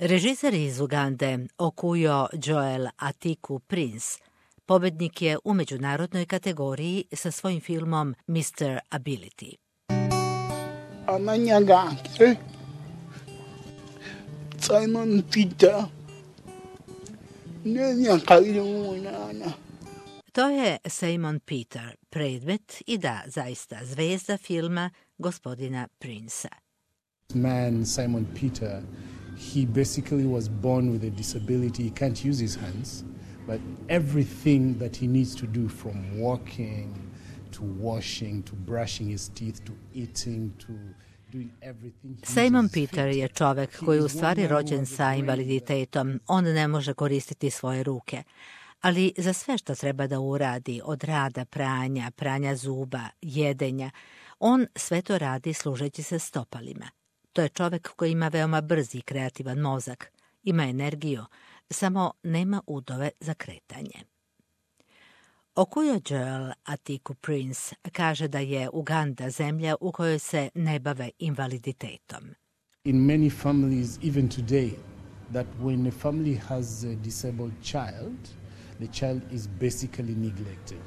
Režiser iz Ugande Okuyo Joel Atiku Prince pobednik je u međunarodnoj kategoriji sa svojim filmom Mr. Ability. Amanya gange Simon Peter ne kailunana. To je Simon Peter, predmet i da, zaista, zvezda filma gospodina Princea. Man, Simon Peter, he basically was born with a disability. He can't use his hands, but everything that he needs to do, from walking to washing to brushing his teeth to eating to doing everything. Simon Peter je čovek koji je u stvari rođen sa invaliditetom. On ne može koristiti svoje ruke. Ali za sve što treba da uradi, od rada, pranja zuba, jedenja, on sve to radi služeći se stopalima. To je čovek koji ima veoma brz i kreativan mozak, ima energiju, samo nema udove za kretanje. Okuyo Joel Atiku Prince kaže da je Uganda zemlja u kojoj se ne bave invaliditetom. In many families, even today, that when a family has a disabled child, the child is basically neglected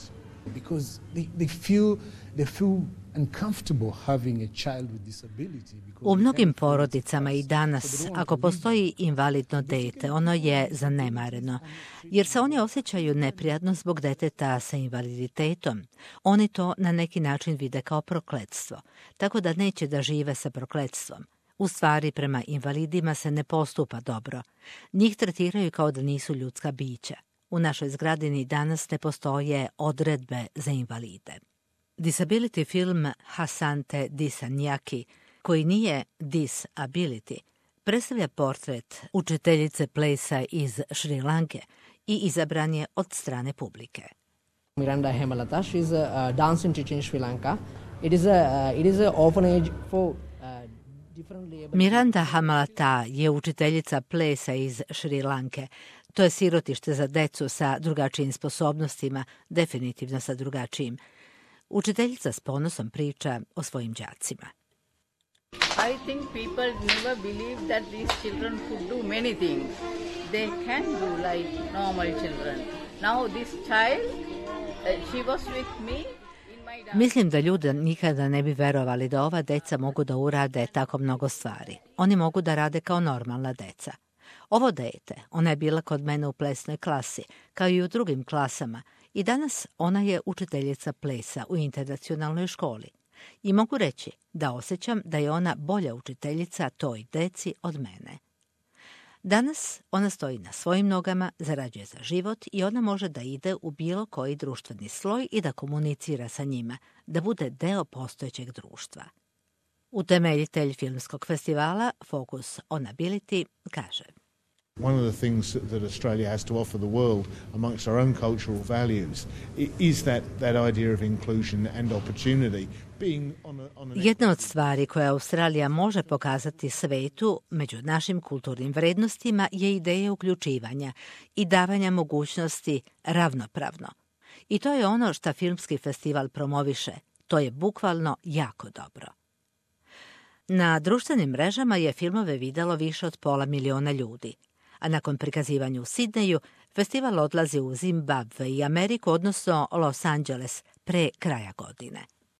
because they feel uncomfortable having a child with disability. U mnogim porodicama i danas, ako postoji invalidno dete, ono je zanemareno, jer se oni osjećaju neprijatno zbog deteta sa invaliditetom. Oni to na neki način vide kao prokletstvo, tako da neće da žive sa prokletstvom. U stvari, prema invalidima se ne postupa dobro. Njih tretiraju kao da nisu ljudska bića. U našoj zgradi ni danas ne postoje odredbe za invalide. Disability film Hasante Disanyaki, koji nije Disability, predstavlja portret učiteljice plesa iz Šri Lanke i izabran je od strane publike. Miranda Hemalata, she is a dancing teacher in Sri Lanka. It is a orphanage for Miranda Hamalata je učiteljica plesa iz Šri Lanke. To je sirotište za decu sa drugačijim sposobnostima, definitivno sa drugačijim. Učiteljica s ponosom priča o svojim đacima. I think people never believe that these children could do many things. They can do like normal children. Now this child, she was with me. Mislim da ljudi nikada ne bi verovali da ova deca mogu da urade tako mnogo stvari. Oni mogu da rade kao normalna deca. Ovo dete, ona je bila kod mene u plesnoj klasi, kao i u drugim klasama, i danas ona je učiteljica plesa u internacionalnoj školi. I mogu reći da osjećam da je ona bolja učiteljica toj deci od mene. Danas ona stoji na svojim nogama, zarađuje za život i ona može da ide u bilo koji društveni sloj i da komunicira sa njima, da bude deo postojećeg društva. Utemeljitelj filmskog festivala Focus on Ability kaže: One of the things that Australia has to offer the world amongst our own cultural values is that idea of inclusion and opportunity. Jedna od stvari koje Australija može pokazati svetu među našim kulturnim vrednostima je ideja uključivanja i davanja mogućnosti ravnopravno. I to je ono što filmski festival promoviše. To je bukvalno jako dobro. Na društvenim mrežama je filmove videlo više od 500 miliona ljudi, a nakon prikazivanja u Sidneju, festival odlazi u Zimbabve i Ameriku, odnosno Los Angeles, pre kraja godine.